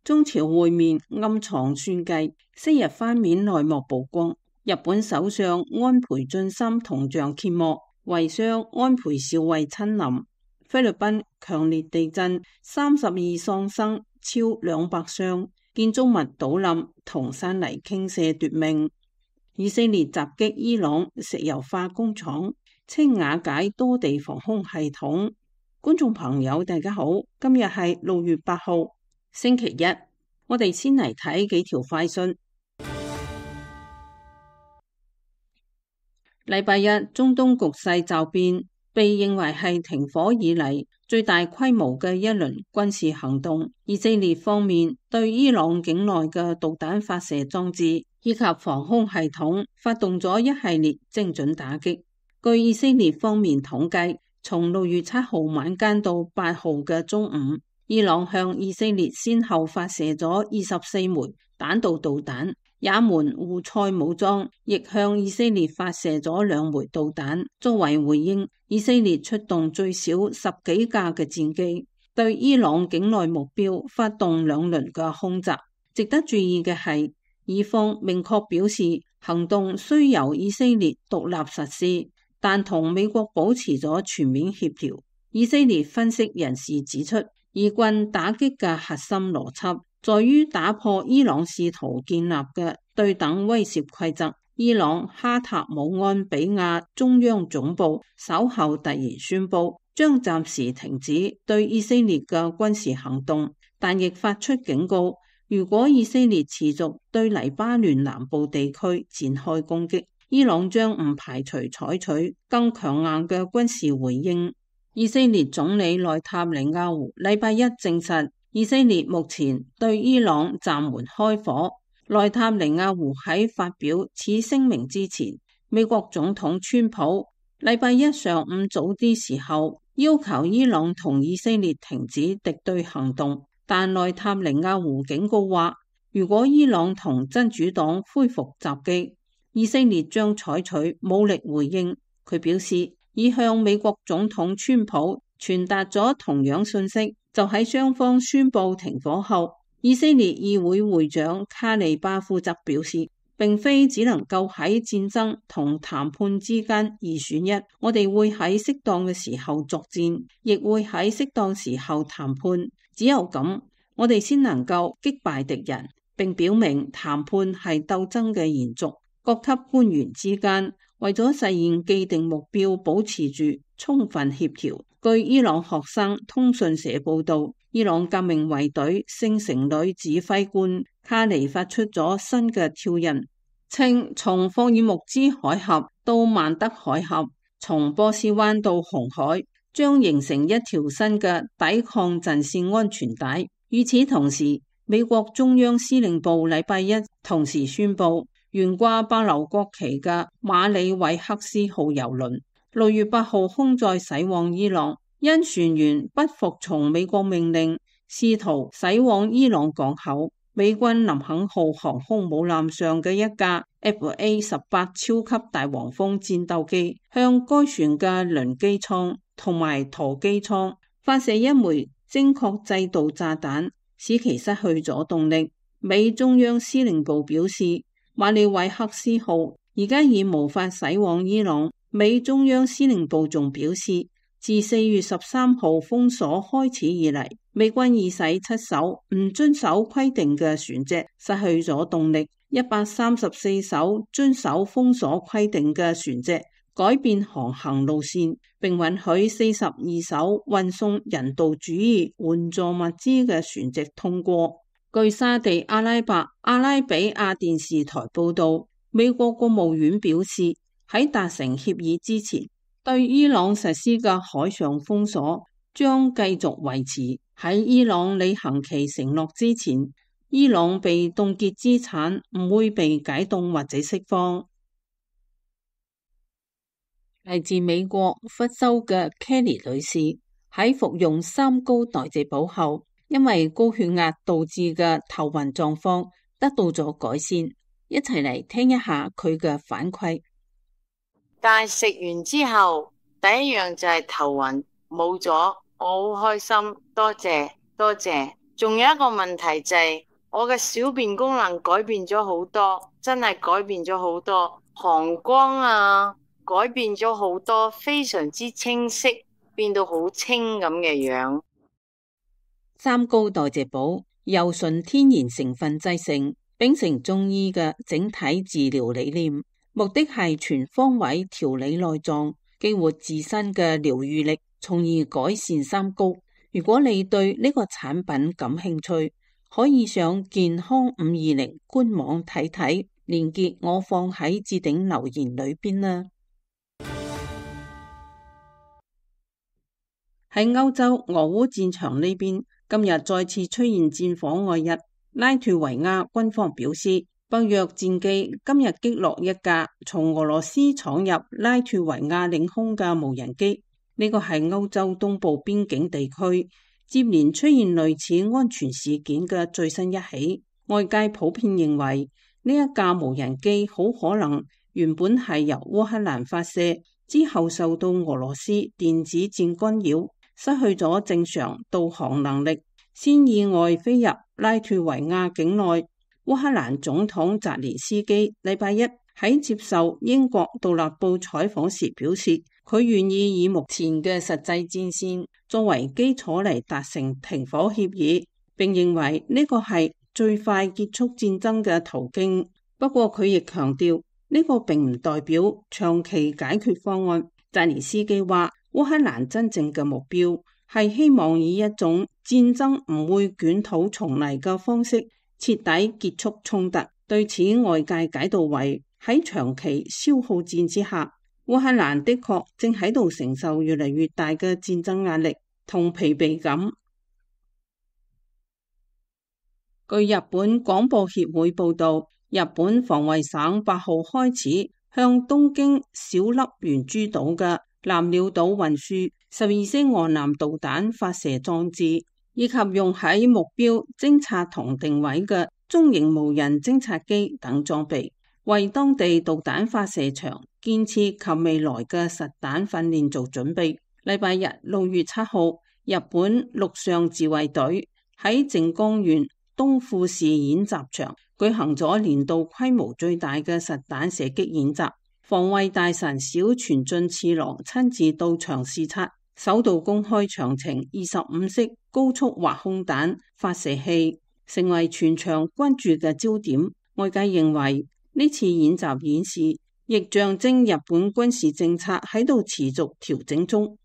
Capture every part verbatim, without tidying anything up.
中朝會面暗藏算計，昔日翻面內幕曝光。日本首相安倍晉三銅像揭幕，遺孀安倍昭惠親臨。菲律賓強烈地震，三十二喪生，超兩百傷，建築物倒冧，同山泥傾瀉奪命。以色列襲擊伊朗石油化工廠，稱瓦解多地防空系統。觀眾朋友大家好，今日係六月八號星期一，我哋先嚟睇幾條快訊。禮拜一，中東局勢驟變，被認為係停火以嚟最大規模嘅一輪軍事行動。以色列方面對伊朗境內嘅導彈發射裝置以及防空系統發動咗一系列精準打擊。據以色列方面統計，從六月七號晚間到八號嘅中午，伊朗向以色列先後發射咗二十四枚彈道導彈，也門胡塞武裝亦向以色列發射咗兩枚導彈。作為回應，以色列出動最少十幾架嘅戰機，對伊朗境內目標發動兩輪嘅空襲。值得注意嘅係，以方明確表示行動雖由以色列獨立實施，但同美國保持咗全面協調。以色列分析人士指出，以軍打擊嘅核心邏輯在於打破伊朗試圖建立嘅對等威懾規則。伊朗哈塔姆安比亞中央總部稍後突然宣布將暫時停止對以色列嘅軍事行動，但亦發出警告，如果以色列持續對黎巴嫩南部地區展開攻擊，伊朗將唔排除採取更強硬嘅軍事回應。以色列總理內塔尼亞胡禮拜一證實，以色列目前對伊朗暫緩開火。內塔尼亞胡喺發表此聲明之前，美國總統川普禮拜一上午早啲時候要求伊朗同以色列停止敵對行動，但內塔尼亞胡警告話，如果伊朗同真主黨恢復襲擊，以色列將採取武力回應。佢表示已向美國總統川普傳達咗同樣信息。就喺雙方宣布停火後，以色列議會會長卡利巴夫則表示，並非只能夠喺戰爭同談判之間二選一，我哋會喺適當嘅時候作戰，亦會喺適當時候談判。只有咁，我哋先能夠擊敗敵人，並表明談判係鬥爭嘅延續。各級官員之間為咗實現既定目標，保持住充分協調。據伊朗學生通訊社報道，伊朗革命衛隊聖城旅指揮官卡尼發出咗新嘅挑釁，稱從霍爾木茲海峽到曼德海峽，從波斯灣到紅海，將形成一條新嘅抵抗陣線安全帶。與此同時，美國中央司令部禮拜一同時宣布，懸掛巴留國旗嘅馬里韋克斯號郵輪六月八號空載駛往伊朗，因船員不服從美國命令，試圖駛往伊朗港口。美軍林肯號航空母艦上嘅一架 F A 十八超級大黃蜂戰鬥機向該船嘅輪機艙同埋舵機艙發射一枚精確制導炸彈，使其失去咗動力。美中央司令部表示，馬里韋克斯號而家已無法駛往伊朗。美中央司令部仲表示，自四月十三號封鎖開始以嚟，美軍已使七艘唔遵守規定嘅船隻失去咗動力，一百三十四艘遵守封鎖規定嘅船隻改變航行路線，並允許四十二艘運送人道主義援助物資嘅船隻通過。據沙地阿拉伯阿拉比亞電視台報道，美國國務院表示，喺達成協議之前，對伊朗實施嘅海上封鎖將繼續維持。喺伊朗履行其承諾之前，伊朗被凍結資產唔會被解凍或者釋放。嚟自美國福州嘅 Kelly 女士喺服用三高代謝寶後，因為高血壓導致嘅頭暈狀況得到咗改善，一齊嚟聽一下佢嘅反饋。但係食完之後，第一樣就係頭暈冇咗，我好開心，多謝多謝。仲有一個問題就係、是、我嘅小便功能改變咗好多，真係改變咗好多，膀胱啊改變咗好多，非常之清晰，變到好清咁嘅樣。三高代謝補由純天然成分製成，秉承中醫嘅整體治療理念，目的係全方位調理內臟，激活自身嘅療愈力，從而改善三高。如果你對呢個產品感興趣，可以上健康五二零官網睇睇，連結我放喺置頂留言裏邊啦。喺歐洲俄烏戰場呢邊，今日再次出現戰火外溢。拉脫維亞軍方表示，北約戰機今日擊落一架從俄羅斯闖入拉脫維亞領空嘅無人機。呢個係歐洲東部邊境地區接連出現類似安全事件嘅最新一起。外界普遍認為呢一架無人機好可能原本係由烏克蘭發射，之後受到俄羅斯電子戰干擾，失去咗正常導航能力，先意外飛入拉脫維亞境內。烏克蘭總統澤連斯基禮拜一喺接受英國獨立報採訪時表示，佢願意以目前嘅實際戰線作為基礎嚟達成停火協議，並認為呢個係最快結束戰爭嘅途徑。不過佢亦強調，呢個並唔代表長期解決方案。澤連斯基話，烏克蘭真正嘅目標係希望以一種戰爭唔會捲土重嚟嘅方式徹底結束衝突。對此，外界解讀為喺長期消耗戰之下，烏克蘭的確正喺度承受越嚟越大嘅戰爭壓力同疲憊感。據日本廣播協會報道，日本防衛省八號開始向東京小笠原諸島嘅南鳥島運輸十二式岸南導彈發射裝置，以及用喺目標偵察同定位嘅中型無人偵察機等裝備，為當地導彈發射場建設及未來嘅實彈訓練做準備。禮拜日六月七號，日本陸上自衛隊喺靜岡縣東富士演習場舉行咗年度規模最大嘅實彈射擊演習。防衛大臣小泉進次郎親自到場視察，首度公開長程二十五式高速滑空彈發射器，成為全場關注嘅焦點。外界認為呢次演習演示亦象徵日本軍事政策喺度持續調整中。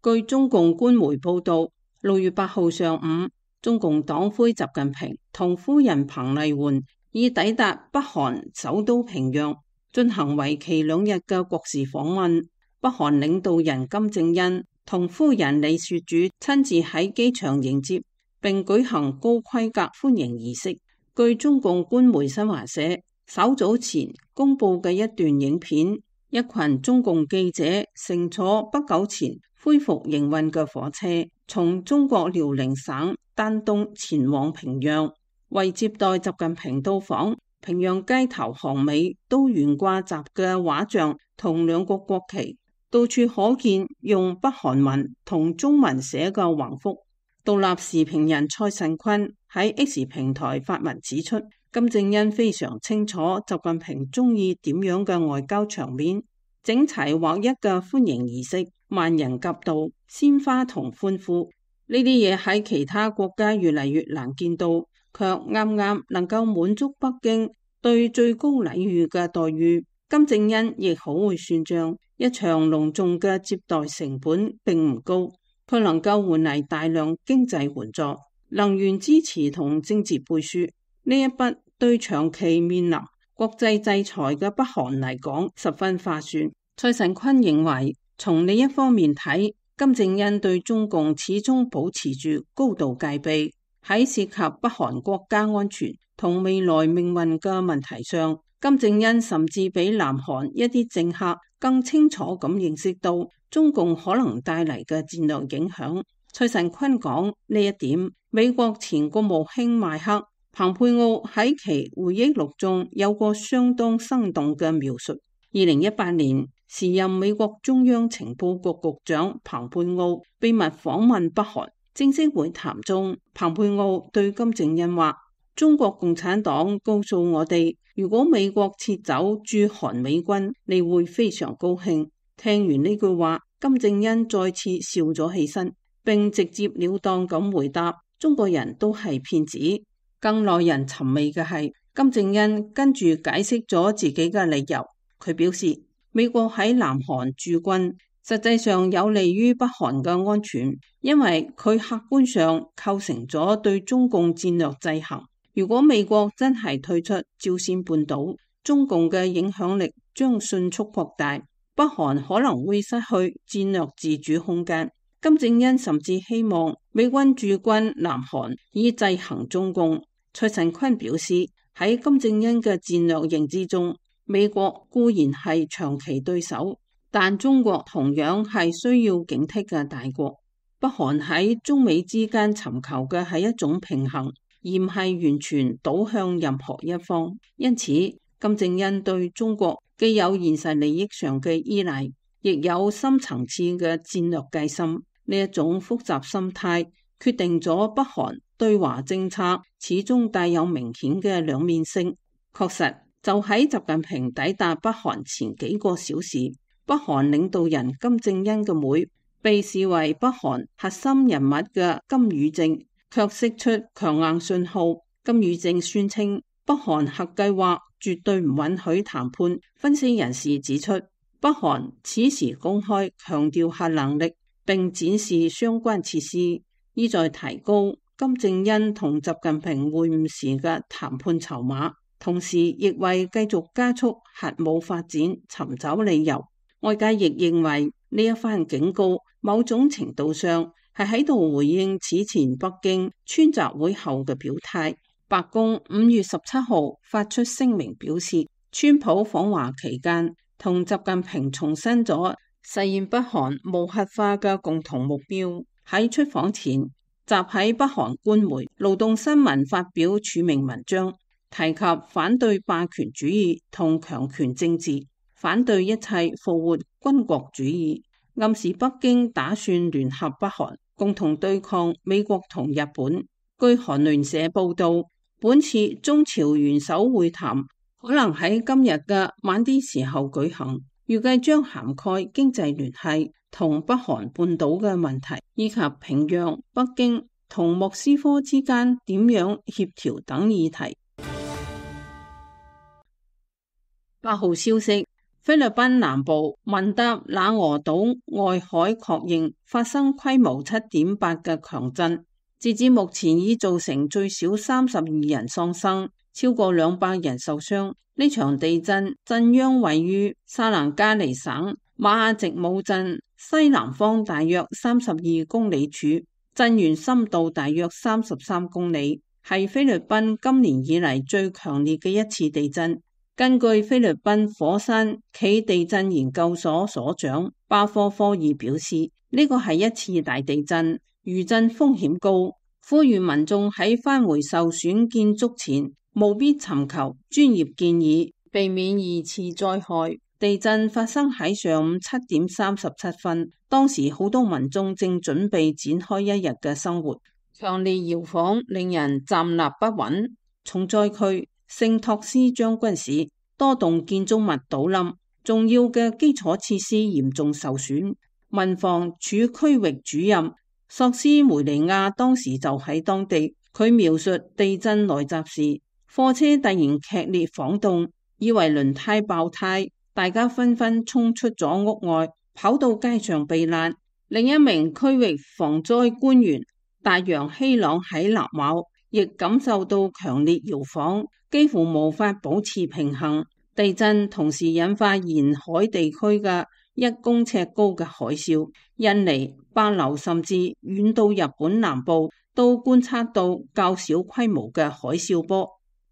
據中共官媒報道，六月八號上午，中共黨魁習近平同夫人彭麗媛已抵達北韓首都平壤，進行為期兩日嘅國事訪問。北韓領導人金正恩同夫人李雪主親自喺機場迎接，並舉行高規格歡迎儀式。據中共官媒新華社稍早前公布嘅一段影片，一群中共記者乘坐不久前恢復營運嘅火車，從中國遼寧省丹東前往平壤。為接待習近平到訪，平壤街頭巷尾都懸掛習嘅畫像同兩國國旗，到處可見用北韓文同中文寫嘅橫幅。獨立時評人蔡慎坤喺 X 平台發文指出，金正恩非常清楚習近平中意點樣嘅外交場面，整齊劃一嘅歡迎儀式，萬人夾道、鮮花同歡呼，呢啲嘢喺其他國家越嚟越難見到，卻啱啱能夠滿足北京對最高禮遇嘅待遇。金正恩亦好會算賬，一場隆重嘅接待成本並唔高，佢能夠換嚟大量經濟援助、能源支持同政治背書。呢一筆對長期面臨國際制裁嘅北韓嚟講十分划算。蔡慎坤認為，從另一方面睇，金正恩對中共始終保持住高度戒備，喺涉及北韓國家安全同未來命運嘅問題上，金正恩甚至比南韓一啲政客更清楚咁認識到中共可能帶嚟嘅戰略影響。蔡慎坤講呢一點，美國前國務卿邁克蓬佩奧喺其回憶錄中有個相當生動嘅描述。二零一八年，時任美國中央情報局局長蓬佩奧秘密訪問北韓。正式會談中，蓬佩奧對金正恩話：中國共產黨告訴我哋，如果美國撤走駐韓美軍，你會非常高興。聽完呢句話，金正恩再次笑咗起身，並直接了當咁回答：中國人都係騙子。更耐人尋味嘅係，金正恩跟住解釋咗自己嘅理由。佢表示，美國喺南韓駐軍實際上有利於北韓嘅安全，因為佢客觀上構成咗對中共戰略制衡。如果美國真係退出朝鮮半島，中共嘅影響力將迅速擴大，北韓可能會失去戰略自主空間。金正恩甚至希望美軍駐軍南韓以制衡中共。蔡陳坤表示，喺金正恩嘅戰略認知中，美國固然係長期對手，但中國同樣係需要警惕嘅大國。北韓喺中美之間尋求嘅係一種平衡，而唔係完全倒向任何一方。因此，金正恩對中國既有現實利益上嘅依賴，亦有深層次嘅戰略戒心。呢一種複雜心態決定咗北韓對華政策始終帶有明顯嘅兩面性。確實，就喺習近平抵達北韓前幾個小時，北韓領導人金正恩嘅妹，被視為北韓核心人物嘅金與正，卻釋出強硬信號。金與正宣稱北韓核計劃絕對唔允許談判。分析人士指出，北韓此時公開強調核能力，並展示相關設施，意在提高金正恩同習近平會晤時嘅談判籌碼，同時亦為繼續加速核武發展尋找理由。外界亦認為呢一番警告，某種程度上係喺度回應此前北京川習會後嘅表態。白宮五月十七號發出聲明表示，川普訪華期間同習近平重申咗實現北韓無核化嘅共同目標。喺出訪前，習喺北韓官媒《勞動新聞》發表署名文章，提及反對霸權主義同強權政治，反對一切復活軍國主義，暗示北京打算聯合北韓，共同對抗美國同日本。據韓聯社報道，本次中朝元首會談可能喺今日嘅晚啲時候舉行，預計將涵蓋經濟聯繫同北韓半島嘅問題，以及平壤、北京同莫斯科之間點樣協調等議題。八號消息，菲律賓南部文達那俄島外海確認發生規模七點八嘅強震，截至目前已造成最少三十二人喪生，超過兩百人受傷。呢場地震震央位於薩蘭加尼省馬亞直姆鎮西南方大約三十二公里處，震源深度大約三十三公里，係菲律賓今年以嚟最強烈嘅一次地震。根據菲律賓火山暨地震研究所所長巴科科爾表示，呢個係一次大地震，餘震風險高，呼籲民眾喺返回受損建築前務必尋求專業建議，避免二次災害。地震發生喺上午七點三十七分，當時好多民眾正準備展開一日嘅生活。強烈搖晃令人站立不穩。重災區聖托斯將軍市多棟建築物倒冧，重要嘅基礎設施嚴重受損。民防處區域主任索斯梅尼亞當時就喺當地，佢描述地震來襲時，貨車突然劇烈晃動，以為輪胎爆胎，大家紛紛衝出咗屋外，跑到街上避難。另一名區域防災官員大洋希朗喺納瓦亦感受到強烈搖晃，幾乎無法保持平衡。地震同時引發沿海地區嘅一公尺高嘅海嘯，印尼、帛琉甚至遠到日本南部都觀測到較小規模嘅海嘯波。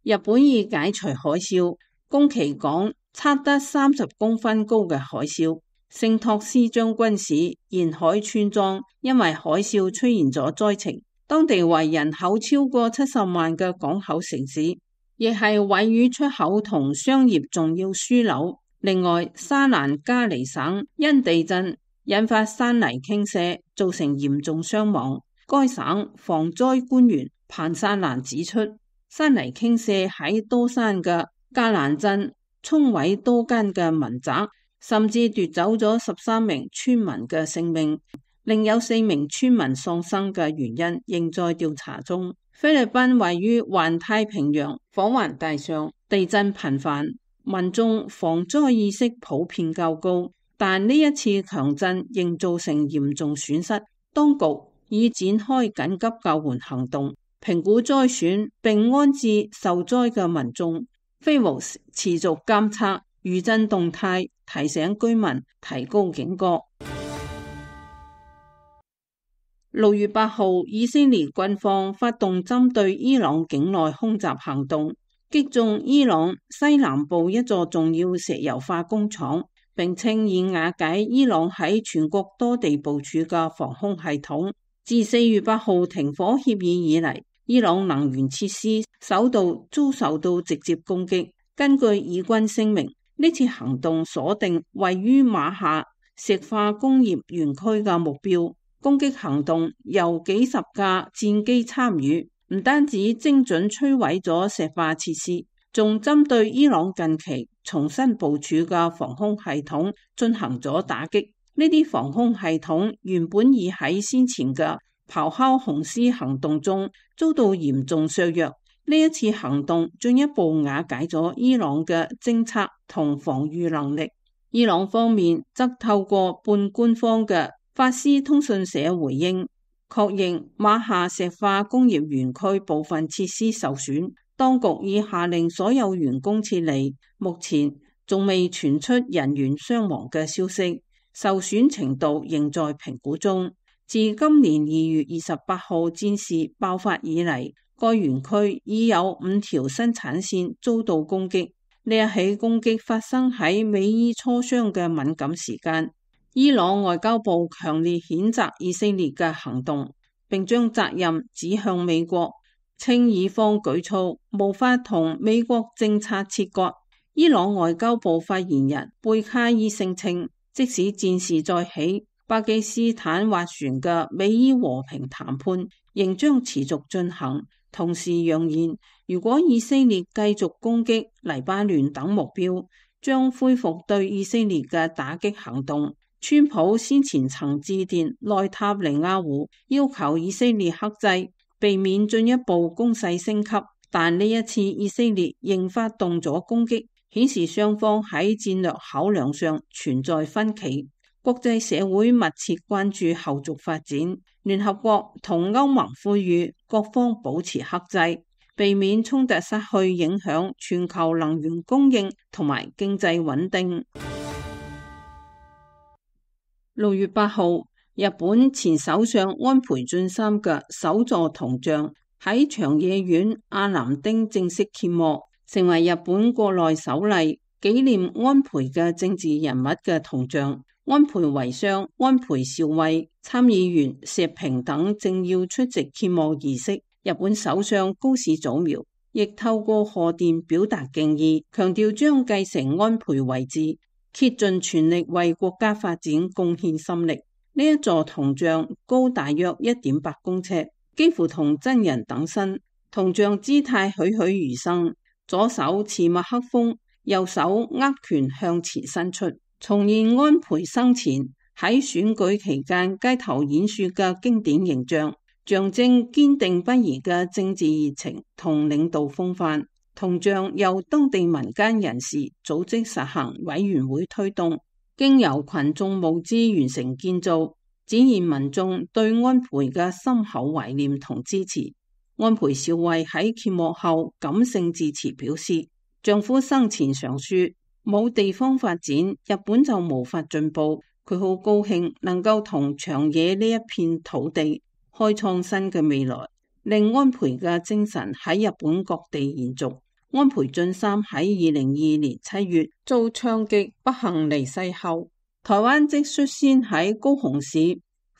日本已解除海嘯，宮崎港測得三十公分高嘅海嘯。聖托斯將軍市沿海村莊因為海嘯出現咗災情，當地為人口超過七十萬嘅港口城市，亦係鮪魚出口同商業重要樞紐。另外，沙蘭加尼省因地震引發山泥傾瀉，造成嚴重傷亡。該省防災官員彭薩蘭指出，山泥傾瀉喺多山嘅加蘭鎮沖毀多間嘅民宅，甚至奪走咗十三名村民嘅性命，另有四名村民喪生嘅原因仍在調查中。菲律賓位於環太平洋火環帶上，地震頻繁，民眾防災意識普遍較高，但呢一次強震仍造成嚴重損失。當局已展開緊急救援行動，評估災損並安置受災嘅民眾。菲巫持續監測餘震動態，提醒居民提高警覺。六月八號，以色列軍方發動針對伊朗境內空襲行動，擊中伊朗西南部一座重要石油化工廠，並稱已瓦解伊朗喺全國多地部署嘅防空系統。自四月八號停火協議以嚟，伊朗能源設施首度遭受到直接攻擊。根據以軍聲明，呢次行動鎖定位於馬夏石化工業園區嘅目標。攻擊行動由幾十架戰機參與，唔單止精準摧毀咗石化設施，仲針對伊朗近期重新部署嘅防空系統進行咗打擊。呢啲防空系統原本已喺先前嘅咆哮雄獅行動中遭到嚴重削弱，呢一次行動進一步瓦解咗伊朗嘅偵察同防禦能力。伊朗方面則透過半官方嘅法斯通訊社回應，確認馬夏石化工業園區部分設施受損，當局已下令所有員工撤離，目前仲未傳出人員傷亡嘅消息，受損程度仍在評估中。自今年二月二十八號戰事爆發以嚟，該園區已有五條生產線遭到攻擊。呢一起攻擊發生喺美伊磋商嘅敏感時間。伊朗外交部強烈譴責以色列嘅行動，並將責任指向美國，稱以方舉措無法同美國政策切割。伊朗外交部發言人貝卡爾聲稱，即使戰事再起，巴基斯坦斡旋嘅美伊和平談判仍將持續進行。同時揚言，如果以色列繼續攻擊黎巴嫩等目標，將恢復對以色列嘅打擊行動。川普先前曾致電內塔尼亞胡，要求以色列克制，避免進一步攻勢升級，但呢一次以色列仍發動咗攻擊，顯示雙方喺戰略考量上存在分歧。國際社會密切關注後續發展，聯合國同歐盟呼籲各方保持克制，避免衝突失去影響全球能源供應同埋經濟穩定。六月八號，日本前首相安倍晉三嘅首座銅像喺長野縣阿南町正式揭幕，成為日本國內首例紀念安倍嘅政治人物嘅銅像。安倍遺孀安倍昭惠、參議員石平等正要出席揭幕儀式。日本首相高市早苗亦透過賀電表達敬意，強調將繼承安倍遺志，竭盡全力為國家發展貢獻心力。呢一座銅像高大約一點八公尺，幾乎同真人等身。銅像姿態栩栩如生，左手持麥克風，右手握拳向前伸出，重現安倍生前喺選舉期間街頭演說嘅經典形象，象徵堅定不移嘅政治熱情同領導風範。銅像由當地民間人士組織實行委員會推動，經由群眾募資完成建造，展現民眾對安倍嘅深厚懷念同支持。安倍昭惠喺揭幕後感性致辭表示，丈夫生前常說，冇地方發展，日本就無法進步。佢好高興能夠同長野呢一片土地開創新嘅未來，令安倍嘅精神喺日本各地延續。安倍晉三喺二零二二年七月遭槍擊不幸離世後，台灣即率先喺高雄市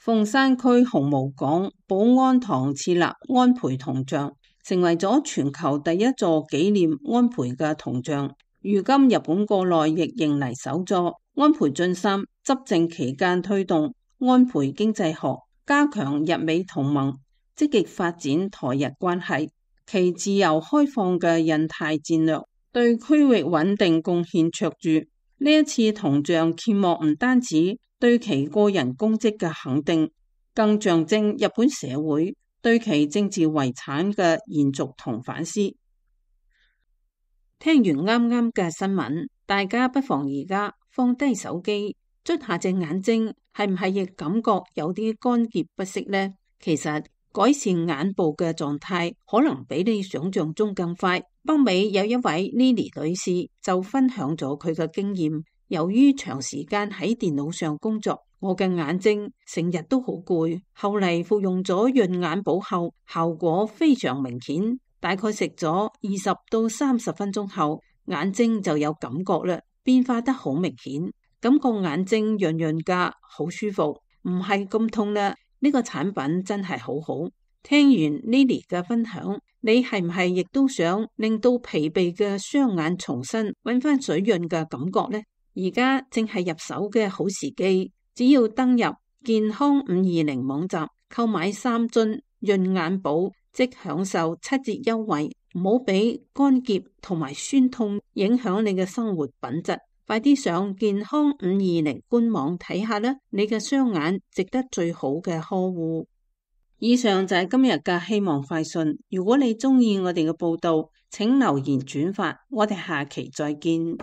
鳳山區紅毛港保安堂設立安倍銅像，成為咗全球第一座紀念安倍嘅銅像。如今日本國內亦迎嚟首座安倍晉三執政期間推動安倍經濟學，加強日美同盟，積極發展台日關係，其自由開放嘅印太戰略對區域穩定貢獻卓著。呢一次銅像揭幕唔單止對其個人功績嘅肯定，更象徵日本社會對其政治遺產嘅延續同反思。聽完啱啱嘅新聞，大家不妨而家放低手機，捽下隻眼睛，係唔係亦感覺有啲乾澀不適呢？其實改善眼部嘅狀態可能比你想象中更快。北美有一位 Lily 女士就分享咗佢嘅經驗，由於長時間喺電腦上工作，我嘅眼睛成日都好攰，後嚟服用咗潤眼寶後，效果非常明顯，大概食咗二十到三十分鐘後，眼睛就有感覺啦，變化得好明顯，感覺眼睛潤潤噶，好舒服，唔係咁痛啦。呢個產品真係好好。聽完 Lily 嘅分享，你係唔係亦都想令到疲憊嘅雙眼重新揾翻水潤嘅感覺呢？而家正係入手嘅好時機，只要登入健康五二零網站購買三樽潤眼寶，即享受七折優惠。唔好俾乾澀同埋酸痛影響你嘅生活品質。快啲上健康五二零官網睇下啦，你嘅雙眼值得最好嘅呵護。以上就係今日嘅希望快訊。如果你鍾意我哋嘅報道，請留言轉發。我哋下期再見。